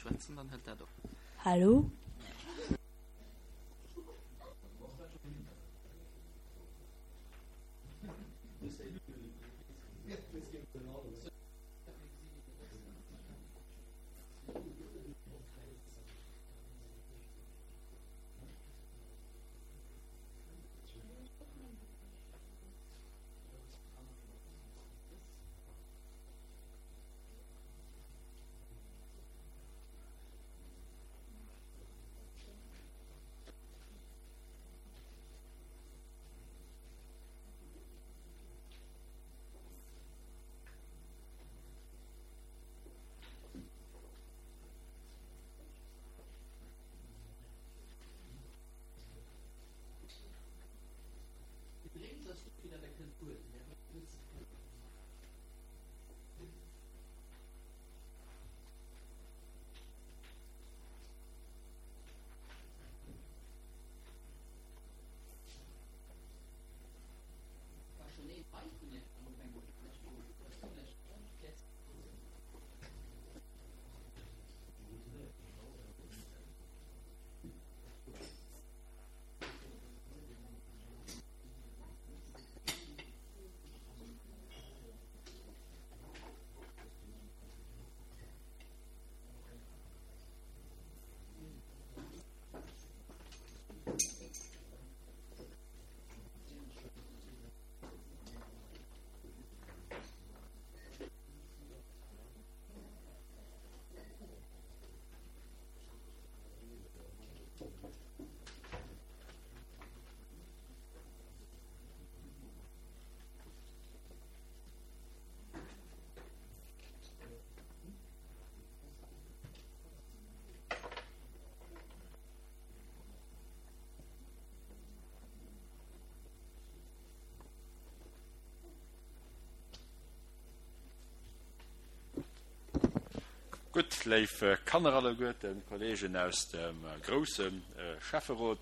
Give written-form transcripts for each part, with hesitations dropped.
schwätzen, dann hëlt dat op. Hallo? Gutt, léif Kanner alleguerten, Kolleegen aus dem grousse Schäfferot,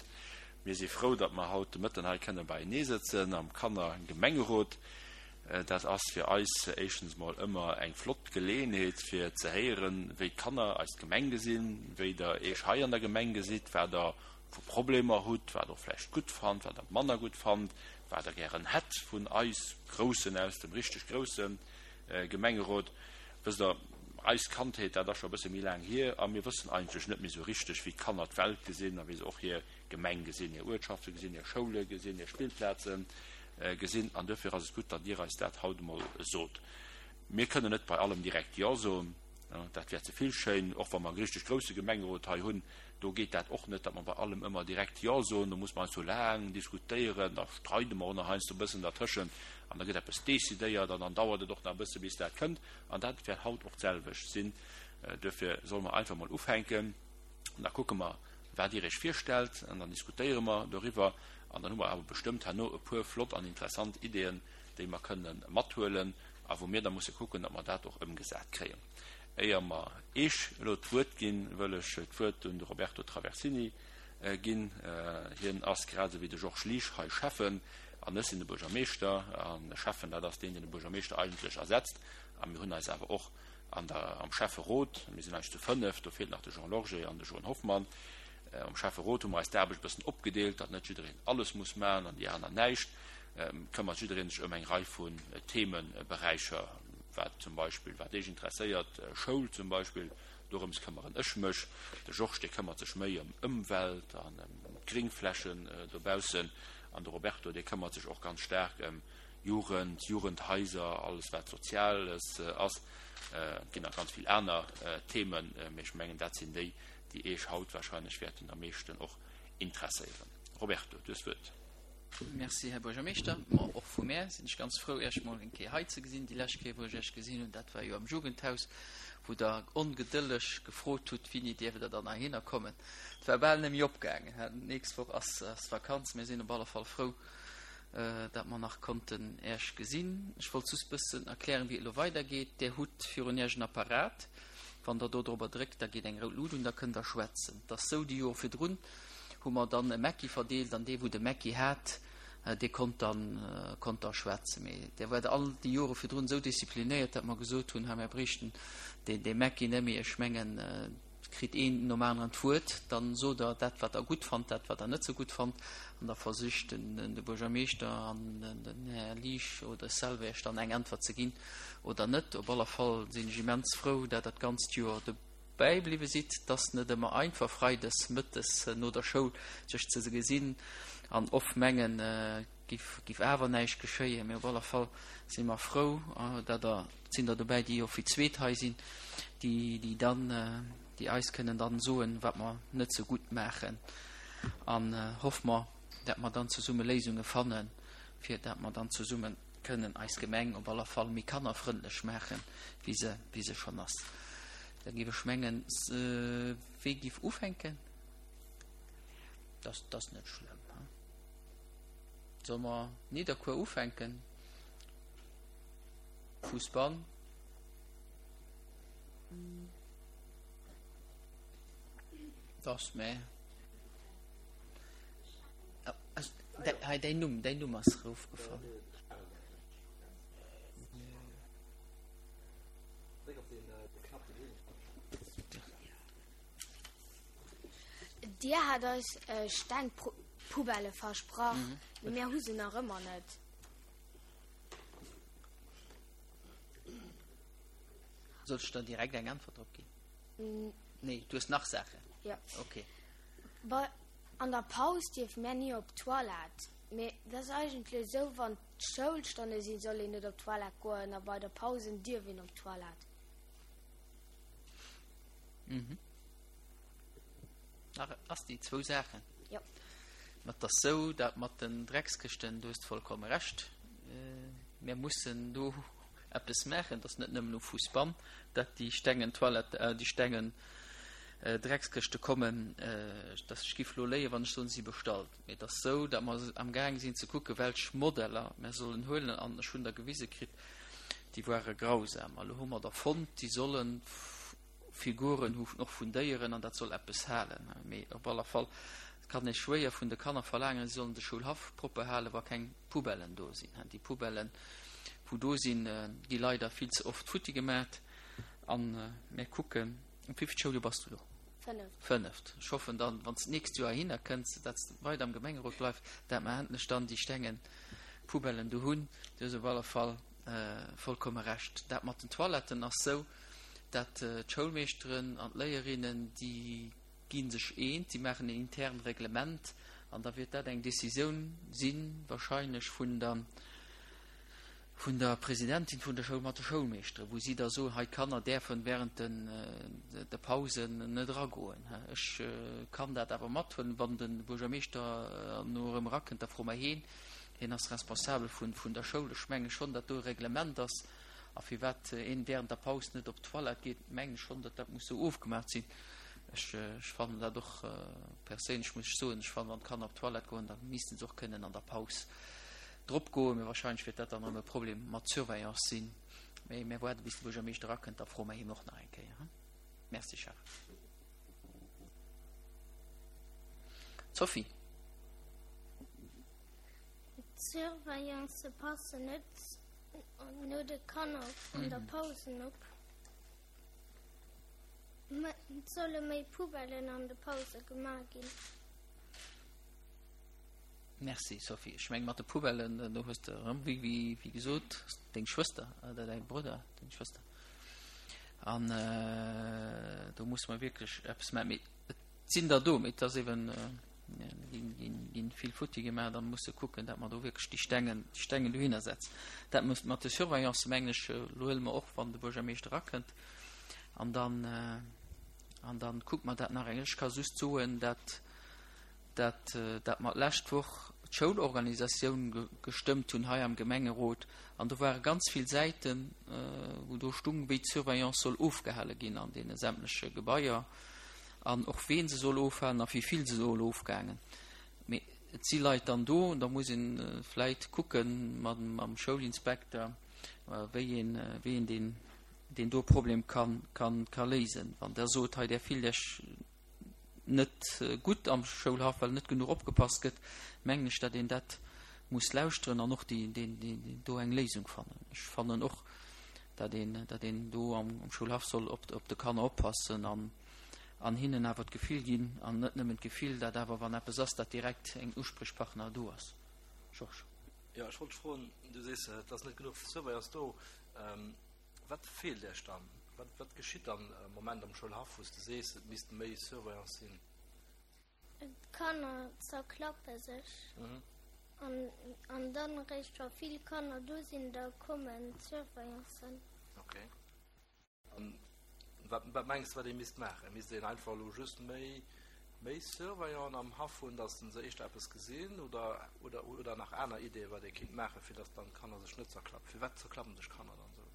mir si frou, datt mer haut de Mëtten hei kënne beienee sëtzen am Kannergemengerot. Dat ass fir eis éischtens mol ëmmer eng flott Geleeënheet fir ze héieren, wéi d'Kanner eis Gemeng gesinn, wéi der Iech hei an der Gemeng gesitt, wat der vu Problemer hutt, wat der och vläicht gutt fannt, wat der manner gutt fannt, wat der gären hätt vun eis Groussen aus dem richteg grousse Gemengerot. Wësst der, eis Kandheet, dat ass scho e bësse méi laang hier a mir wëssen eigentlech net méi esou richteg, wéi d'Kanner d'Welt gesinn a wéi se och hir Gemeng gesinn, hir Uertschafte gesinn, hir Schoule gesinn, hir Spillplaze gesinn. An duerfir ass et gutt, datt Dir eis dat haut emol sot. Mir kënnen net bei allem direkt Jo soen, dat wär ze vill schéin, och wa mer e richteg grousse Gemengerot hei hunn, do geet dat och net, datt mer bei allem ëmmer direkt Jo soen. Do muss mer heiansdo laang diskutéieren, da streide mer och nach heiansdo e bëssen dertëschent an da gëtt eppes decidéiert an dann dauert et och nach e bësse bis dat kënnt. An dat wäert haut och d'selwecht sinn. Duerfir solle mer einfach emol ufänken an da kucke mer, wat Dir Iech virstellt an dann diskutéiere mer doriwwer an dann hu mer awer bestëmmt herno e puer flott an interessant Ideeën, déi mer kënne mathuelen a wou mir da musse kucken, datt mer dat och ëmgesat kréien. Éier mer Eech elo d'Wuert ginn, wëll ech d'Wuert un de Roberto Traversini ginn. Hien ass grad esou wéi de Georges Liesch hei Schäffen an ech sinn de Buergermeeschter. An e Schäffen, dat ass deen, deen de Buergermeeschter eigentlech ersetzt. A mir hunn eis awer och an der, am Schäfferot, mir sinn eigentlech zu fënnef, do feelt nach de Jean Lorgé an de Joen Hoffmann, am Schäfferot hu mer eis d'Aarbecht e bëssen opgedeelt, datt net jiddereen alles muss maachen an déi aner näischt. Këmmert jiddereen sech ëm eng Rei vun Themeberäicher, wat zum Beispill, wat Iech interesséiert, Schoul zum Beispill, dorëms këmmeren ech mech. De Georges, dee këmmert sech méi ëm Ëmwelt an ëm d'Gringflächen dobaussen an de Roberto, dee këmmert sech och ganz staark ëm Jugend, Jugendhaiser, alles wat Soziales ass. Et ginn nach ganz vill aner Themen, mee ech mengen dat sinn déi, déi Iech haut wahrscheinlech wäerten am meeschten och interesséieren. Roberto, du hues d'Wuert. Merci, Här Buergermeeschter. Ma och vu mär sinn ech ganz frou, Iech mol eng Kéier hei ze gesinn. Déi lescht Kéier, wou ech Iech gesinn hunn, dat war jo am Jugendhaus, wou Der ongedëlleg gefrot hutt, Wéini dierft Der dann heihinner kommen? Et war bal net méi opgaangen. D'nächst Woch ass d'Vakanz. Mir sinn op alle Fall frou, dat mer nach konnten Äech gesinn. Ech wollt just bëssen erklären, wéi et elo weidergeet. Där hutt virun Iech en Apparat. Wann Der do dorobber dréckt, da geet eng rout Lut un, da kënnt Der schwätzen. Et ass sou, déi Jore virdrun hu mer dann e Mecki verdeelt an dee wou de Mecki hat, dee konnt dann, konnt da schwätzen. Mee där waart all déi Jore virdrun esou disziplinéiert, dat mer gesot hunn, hei mir bréichten dee, dee Mecki net méi. Ech mengen. kritt een nom aneren d'Wuert, dann sot Der dat, wat Der gutt fannt, dat, wat Der net sou gutt fannt, an da versicht de Buergermeeschter an den Här Liesch oder ech selwer Iech dann eng Äntwert ze ginn oder net. Op aller Fall sinn ech immens frou, dat Der d'ganzt Joer dobäi bliwwe sidd. Et ass net ëmmer einfach, freides mëttes no der Schoul sech ze gesinn an oft mengen, Giff, giff awer näischt geschéien. Mee op aller Fall si mer frou, dat der, et sinn der dobäi, déi jo fir d'zweet hei sinn, déi, déi dann, déi eis kënnen dann soen, wat mer net sou gutt maachen. An hoffe mer, dat mer dann zesumme Léisunge fannen, fir dat mer dann zesumme kënnen eis Gemeng op aller Fall méi kannerfrëndlech maachen, wéi se, wéi se schonn ass. Da giff ech mengen, wee giff ufänken? Dat ass net schlëmm, he? Solle mer Nidderkuer ufänken? Fussball. Das mä. Hei däin Numm, däin Numm ass erofgefall. Dir hat eis Stengpoubellë versprach, mee mir hu se nach ëmmer net. Soll ech der direkt eng Äntwert drop ginn? Nee, du hues nach Saachen? Jo. Okay. Bei, an der Paus dierfe mär ni op d'Toilette. Mee dat ass eigentlech esou, wann d'Schoulstonne sinn, soll een net op d'Toilette goen a bei der Pausen dierf een op d'Toilette. Mhm. Nach ass déi zwou Saachen. Jo. Mat der sou dat mat den Dreckskëschten, du hues vollkomme Recht. Mir mussen do eppes maachen, dass net nëmmen um Fussbann, dat déi stengen Toilette, déi stengen Dreckskëschte kommen. Dass ech giff lo léien, wann ech soen, si bestallt. Mee et ass sou, dat mer amgaang sinn ze kucken, welch Modeller mer sollen huelen an ech hunn der gewise kritt, déi ware grausam. A lo hu mer der fonnt, déi sollen Figuren hu och vun Déieren an dat soll eppes halen. Mee op aller Fall kann ee schwéier vun de Kanner verlaangen, si sollen de Schoulhaff propper halen, wa keng Poubellen do sinn. Déi Poubellen, wou do sinn, gi leider vill ze oft futti gemat. A mir kucken. Am wéivilt Schouljoer bass du elo? Fënneft. Fënneft. Ech hoffen dann, wann s de d'nächst Joer heihinner kënns, dat s de weider am Gemengerot bleifs, dat mer endlech dann déi stengen Poubellen do hunn. Du hues op alle Fall vollkomme Recht. Dat mat den Toiletten ass sou, dat d'Schoulmeeschteren an d'Léierinnen, déi gi sech eent, déi maachen en intern Reglement an da wiert dat eng Décisioun sinn, wahrscheinlech vun der, vun der Presidentin vun der Schoul mat de Schoulmeeschteren, wou si da soen, hei d'Kanner däerfen während den de Pausen net eragoen. Ech kann dat awer mathuelen, wann de Buergermeeschter no erëm erakënnt, da froe mer heen, hien ass responsabel vun vun der Schoul. Ech menge schonn, datt do e Reglement ass a firwat een während der Paus net op d'Toilette geet, mengen ech schonn, datt dat muss esou ofgemaach sinn. Ech ech fannen dat och perséinlech, muss ech soen, ech fannen, wann d'Kanner op d'Toilette goen, da missten se och kënnen an der Paus drop goen, mee wahrscheinlech wäert dat dann erëm e Problem mat Surveillance sinn. Mee mir waarde bis de Buergermeeschter erakënnt, da froe mer hien och nach eng Kéier. Merci Charel. Sophie. D'Surveillance passen net no de Kanner an der Pausen op. Et solle méi Poubellen an de Pause gemaach ginn. Merci Sophie. Ech meng mat de Poubellen, do hues de erëm, wéi, wéi, wéi gesot, deng Schwëster oder däi Brudder, deng Schwëster. An do musse mer wierklech eppes maachen. Mee et sinn der do, mee et ass eben, ginn, ginn, ginn vill futti gemaach. Da musse kucken, datt mer do wierklech déi Stengen, déi Stengen dohinner setzen. Dat muss mat de Surveillance, mengen ech, elo huele mer och, wann de Buergermeeschter erakënnt, an dann, an dann kucke mer dat nach eng. Ech ka just soen, dat dat dat mer d'lescht Woch d'Schoulorganisatioun gestëmmt hunn hei am Gemengerot, an do ware ganz vill Säiten, wou do stung, wéi d'Surveillance soll ofgehale ginn an deene sämtleche Gebaier an och ween se soll ofhalen a wéi vill se soll ofgaangen. Mee et si Leit dann do, da muss ee vläit kucke mam Schoulinspekter, wéi een, wéi een deen, deen do Problem ka, ka léisen. Wann Der sot, hei Der fillt Iech net gutt am Schoulhaff, well net genuch opgepasst gëtt, mengen ech, datt een dat muss lauschteren an och déi, déi, déi do eng Léisung fannen. Ech fannen och, datt een, datt een do am, am Schoulhaff soll op, op de Kanner oppassen an, An hinnen awer d'Gefill ginn, an net nëmmen d'Gefill, dat awer wann eppes ass, dat direkt en Usprichpartner do ass. Georges. Jo, ech wollt froen, du sees, et ass net genuch Surveillance do. Wat feelt Iech dann? Wat, wat geschitt dann am Moment am Schoulhaff, wou s de sees, et misst méi Surveillance sinn? D'Kanner zerklappe sech. An, an dann eréischt wa vill Kanner do sinn, da kommen d'Surveillancen. Okay. An wat, wat mengs de, wat ee misst maachen? Misst een einfach elo just méi, méi Surveillanten am Haff hunn, datt se éischter eppes gesinn? Oder, oder, oder nach aner Ideeën, wat ee kéint maachen, fir datt dann d'Kanner sech net zerklappen? Firwat zerklappen sech Kanner dann esou?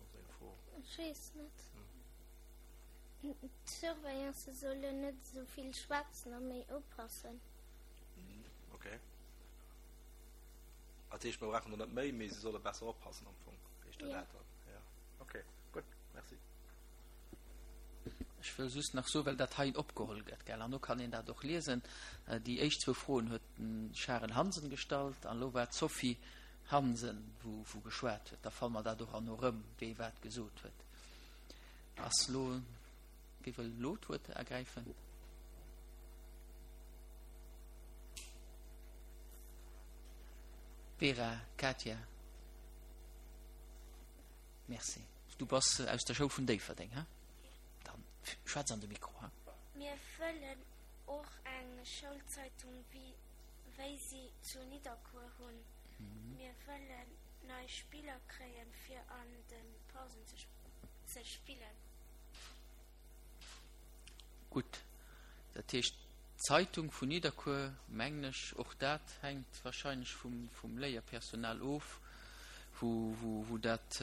Dat ass eng Fro. Ech weess net. D'Surveillance sollen net esou vill schwätzen a méi oppassen. Okay. Dat heescht, mir brauchen der net méi, mee se solle besser oppassen am Fong. Heescht dat dat dann? Ja. Okay, gutt, merci. Ech wëll just nach soen, well dat hei opgeholl gëtt, gell, an do kann een dat och liesen, déi éischt zwou Froen huet den Charel Hansen gestallt an elo war d'Sophie Hansen, wou, wou geschwat huet. Da fanne mer dat och herno erëm, wee wat gesot huet. Ass elo, wie wëll elo d'Wuert ergräifen? Vera, Katia. Merci. Du bass aus der Schoul vun Déifferdeng, he? Dann schwätz an de Mikro, he? Mir wëllen och eng Schoulzeitung wéi si zu Nidderkuer hunn. Mir wëllen nei Spiller kréien fir an de Pausen ze spillen. Gutt, dat heescht d'Zeitung vun Nidderkuer, mengen ech, och dat hänkt wahrscheinlech vum, vum Léierpersonal of, wou, wou, wou dat,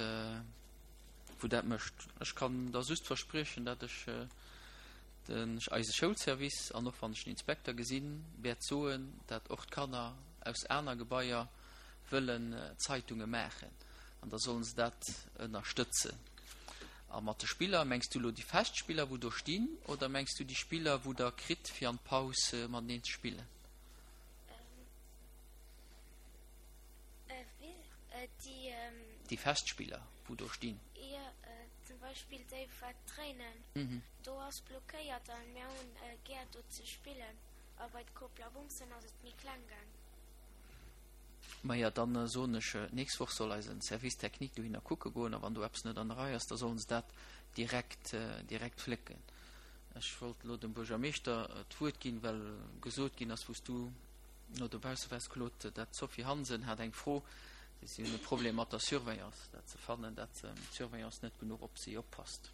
wou dat mécht. Ech kann der just verspriechen, datt ech den, eise Schoulservice an och wann ech den Inspekter gesinn, wäert soen, datt och d'Kanner aus aner Gebaier wëllen Zeitunge maachen an da sollen se dat ënnerstëtzen. A mat de Spiller, mengs du elo déi fest Spiller wou do stinn oder mengs du déi Spiller wou der kritt fir an d'Paus mateneen ze spillen? Déi fest Spiller wou do stinn. Jo, zum Beispill déi wat dréinen, do ass blockéiert an mir hunn gär do ze spillen a bei d'Koplabumsen ass et méi kleng gaang. Maja, dann soen ech, d'nächst Woch soll eisen Service technique dohinner kucke goen, a wann do eppes net an der Rei ass, da sollen se dat direkt, direkt flécken. Ech wollt elo dem Buergermeeschter d'Wuert ginn, well gesot ginn ass, wou s du no dobausse waars, Claude, dat d'Sophie Hansen hat eng Fro, si hunn e Problem mat der Surveillance, dat se fannen, dat d'Surveillance net genuch op si oppasst.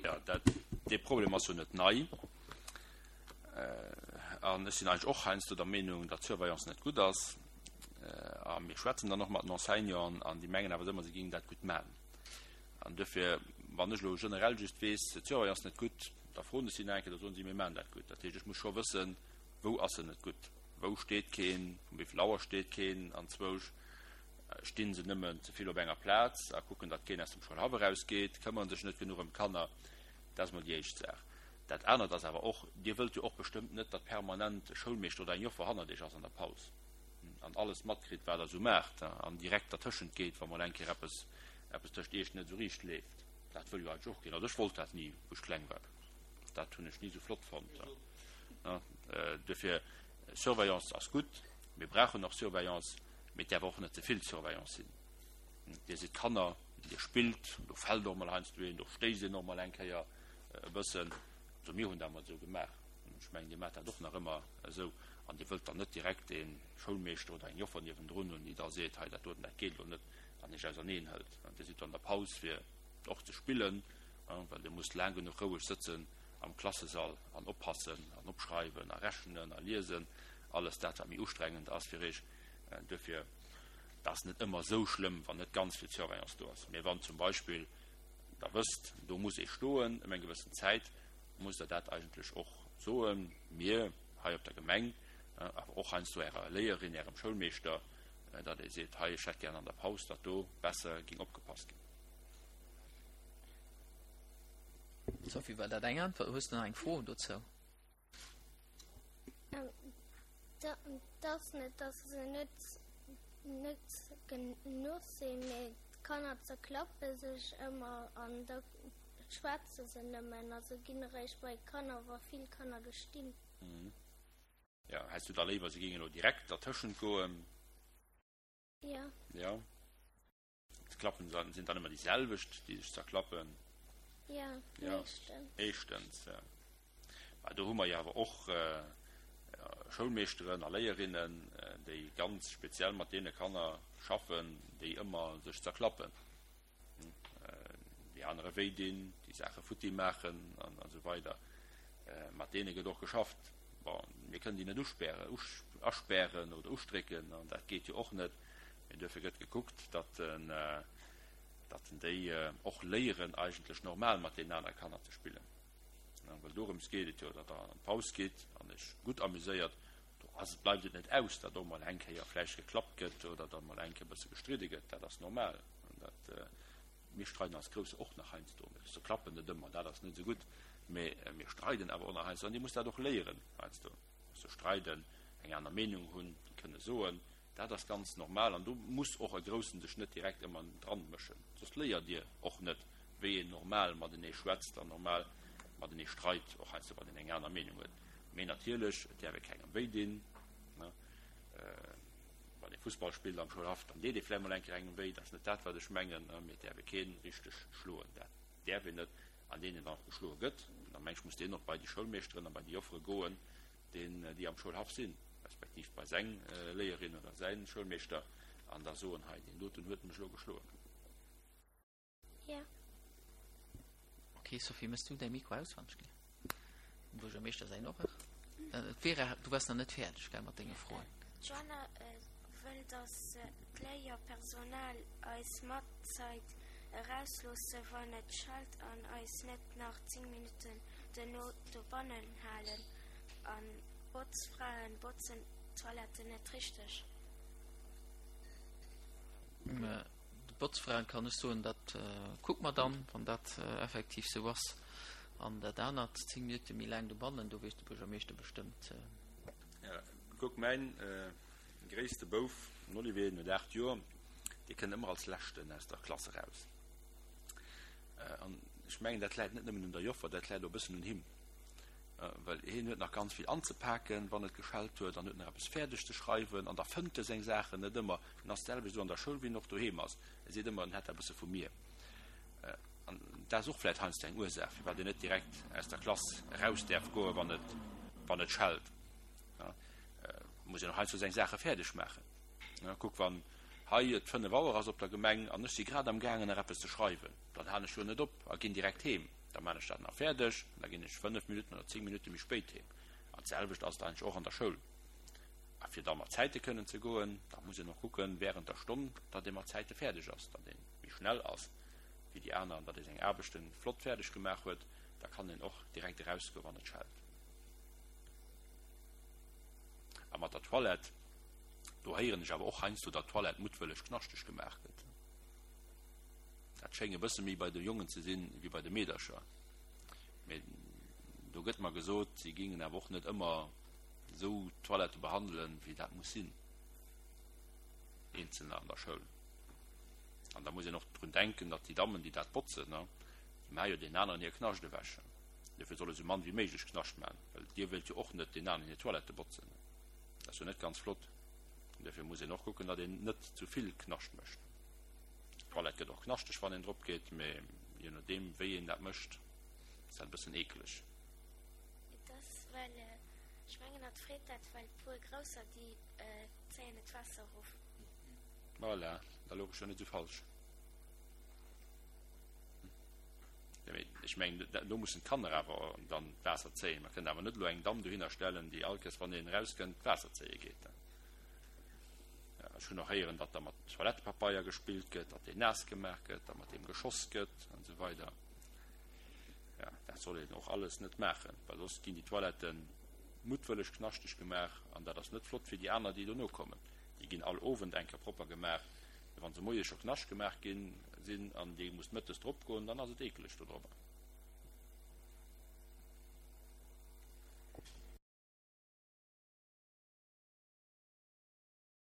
Jo, dat, dee Problem ass jo net nei. An ech sinn eigentlech och heiansdo der Meenung, datt d'Surveillance net gutt ass. A mir schwätzen dann och mat den Enseignanten an déi mengen awer ëmmer, se géingen dat gutt maachen. An duerfir, wann ech elo generell just weess, d'Surveillance net gutt, da froen ech si nach eng Kéier, da soen si, mir maachen dat gutt. Dat heescht, ech muss scho wëssen, wou ass se net gutt, wou steet keen, vum wéi vill Auer steet keen anzwousch, sti se nëmmen ze vill op enger Plaz a kucken, datt keen aus dem Schoulhaff erausgeet, këmmere sech net genuch ëm d'Kanner. Dat ass emol déi éischt Saach. Dat anert ass awer och, Dir wëllt jo och bestëmmt net, datt permanent e Schoulmeeschter oder eng Joffer hannert Iech ass an der Paus an alles matkritt, wat Der esou maacht an direkt dertëschent geet, wa mol eng Kéier eppes, eppes tëscht Iech net esou riicht leeft. Dat wëll jo eigentlech och keen. Also ech wollt dat ni, wou ech kleng war. Dat hunn ech ni esou flott fonnt. Duerfir, Surveillance ass gutt, mir brauchen och Surveillance, mee et däerf och net ze vill Surveillance sinn. Dir sidd Kanner, Dir spillt, do fält och mol heiansdo een, do stéisst een och mol eng Kéier e bëssen. Also mir hunn dat emol esou gemaach. Ech mengen, Dir maacht dat och nach ëmmer esou. An Dir wëllt dann net direkt ee Schoulmeeschter oder eng Joffer niewendrun hunn, déi da seet, hei dat doten, dat geet elo net, an Iech auserneen hëlt. Dir sidd do an der Paus fir och ze spillen, well Dir musst laang genuch roueg sëtzen am Klassesall an oppassen an opschreiwen a rechnen a liesen, alles dat, wat méi ustrengend ass fir Iech. Duerfir, dat ass net ëmmer esou schlëmm, wann net ganz vill Surveillance do ass. Mee wann zum Beispill Der wësst, do muss ee stoen ëm eng gewëssen Zäit, musst Der dat eigentlech och soen, mir hei op der Gemeng, awer och heiansdo Ärer Léierin, Ärem Schoulmeeschter, datt ee seet, hei, ech hätt gären an der Paus, datt do besser géing opgepasst ginn. Sophie, war dat eng Äntwert? Hues de nach eng Fro dozou? Et ass net, dass se net net genuch sinn, mee d'Kanner zerklappe sech ëmmer an da. schwätze se nëmmen a se ginn eréischt bei d'Kanner, wa vill Kanner do stinn. Jo, häss du da léiwer, se géingen elo direkt dertëschent goen? Jo. Jo. D'Klappen sinn dann ëmmer déi selwecht, déi sech zerklappen? Jo, meeschtens. Meeschtens, jo. Mä do hu mer jo awer och Schoulmeeschteren a Léierinnen, déi ganz speziell mat deene Kanner schaffen, déi ëmmer sech zerklappen, déi anere wéi dinn, déi Saache futti maachen an esou weider. Mat deene gëtt och geschafft. Bon, mir kënnen déi net uspären, aspären oder ustrécken, an dat geet jo och net. Mee duerfir gëtt gekuckt, datt datt déi och léieren, eigentlech normal mat deenen anere Kanner ze spillen. Well dorëms geet et jo, datt Der an d'Paus gitt an Iech gutt amuséiert. Do ass et, bleift et net aus, datt och mol eng Kéier vläicht geklappt gëtt oder datt mol eng Kéier e bësse gestridde gëtt. Dat ass normal. Dat, mir streiden als Grousse och nach heiansdo. Mir zerklappen net ëmmer, dat ass net esou gutt, mee mir streiden awer och nach heiansdo. An Dir musst dat och léieren heiansdo, ze streiden, eng aner Meenung hunn, déi kënne soen. Dat ass ganz normal an do muss och e Groussen sech net direkt ëmmer dran mëschen, soss léiert Dir och net, wéi een normal matenee schwätzt an normal matenee streit, och heiansdo wann een eng aner Meenung huet. Mee natierlech, et däerf ee kengem wéi dinn. Wann ee Fussball spillt am Schoulhaff, dann deet ee vläicht mol eng Kéier engem wéi, dat ass net dat, wat ech mengen, mee et däerf ee kee richteg schloen, dat däerf een net. An deen, deen dann och geschloe gëtt, da meng ech, muss deen och bei déi Schoulmeeschteren a bei déi Joffere goen, deen déi am Schoulhaff sinn, respektiv bei seng Léierin oder säin Schoulmeeschter an da soen, hei deen doten huet mech elo geschloen. Jo. Ok Sophie, mëss du däi Mikro aus wann ech gär. Dem Buergermeeschter säin och. Vera, du waars nach net fäerdeg, gell, mat denge Froen? D'Joanna wëll, datt d'Léierpersonal eis matzait erausloosse wann et schellt an eis net nach 10 Minutten duerno dobannen halen an d'Botzfraen botzen d'Toiletten net richteg. De Botzfraen kann ech soen, dat kucke mer dann, wann dat effektiv sou ass. An dat anert, 10 Minutte méi laang dobannen, do weess de Buergermeeschter bestëmmt. Kuck, mäin gréisste Bouf, den Olivier, den huet 8 Joer, dee kënnt ëmmer als Leschten aus der Klass eraus. An ech mengen, dat läit net nëmmen un der Joffer, dat läit och e bëssen un him. Well hien huet nach ganz vill anzepaken, wann et geschellt huet, an huet nach eppes fäerdeg ze schreiwen, an da fënnt e seng Saachen net ëmmer. En ass d'selwecht esou an der Schoul, wéi en och doheem ass. E seet ëmmer, en hätt dat e bësse vu mir. An dat ass och vläicht heiansdo eng Ursaach, firwat een net direkt aus der Klass eraus däerf goen, wann et, wann et schellt. Muss een och heiansdo seng Saache fäerdeg maachen. Kuck, wann hei et 5 Auer ass op der Gemeng an ech si grad am gaangen nach eppes ze schreiwen, dann halen ech jo net op a ginn direkt heem. Da maan ech dat nach fäerdeg an da ginn ech 5 Minutten oder 10 Minutte méi spéit heem. An d'selwecht ass et eigentlech och an der Schoul. A fir da mat Zäite kënnen ze goen, da muss een och kucken, während der Stonn, datt ee mat Zäite fäerdeg ass, datt ee méi schnell ass wéi déi aner an datt ee seng Aarbechte flott fäerdeg gemaach huet. Da kann een och direkt erausgoen, wann et schellt. A mat der Toilette, do héieren ech awer och heiansdo, datt d'Toilette muttwëlleg knaschteg gemaach gëtt. Dat schéngt e bësse méi bei de Jongen ze sinn, wéi bei de Meedercher. Mee do gëtt mer gesot, si géingen awer och net ëmmer esou d'Toilette behandelen, wéi dat muss sinn, Eenzelner an der Schoul. An da muss een och drun denken, datt déi Dammen, déi dat botzen, déi maache jo deenen aneren hir Knascht ewech. Duerfir soll e sou mann wéi méiglech Knascht maachen, well Dir wëllt jo och net deenen aneren hir Toilette botzen. Dat ass jo net ganz flott. An duerfir muss een och kucken, datt een net zu vill Knascht mécht. D'Toilette gëtt och knaschteg, wann een drop geet, mee je nodeem, wéi een dat mécht, ass dat e bëssen eekeleg. Et ass well, ech mengen hatt freet dat, well puer Grousser, déi zéien et Waasser erof. Voilà, da louch ech jo net esou falsch. Jo, mee ech mengen, do mussen d'Kanner awer dann d'Waasser zéien. Mer kënnen awer net elo eng Damm dohinner stellen, déi all Kéiers, wann een erauskënnt, d'Waasser zéie geet. Ech hunn och héieren, datt da mat Toilettepapeier gespillt gëtt, datt deen naass gemaach gëtt, datt mat deem geschoss gëtt an esou weider. Ja, dat soll een och alles net maachen, well soss ginn déi Toiletten muttwëlleg knaschteg gemaach an dat ass net flott fir déi aner, déi dono kommen. Déi ginn all Owend eng Kéier propper gemaach, mee wa se moies scho knascht gemaach ginn sinn an Dir musst mëttes drop goen, dann ass et eekeleg do drobber.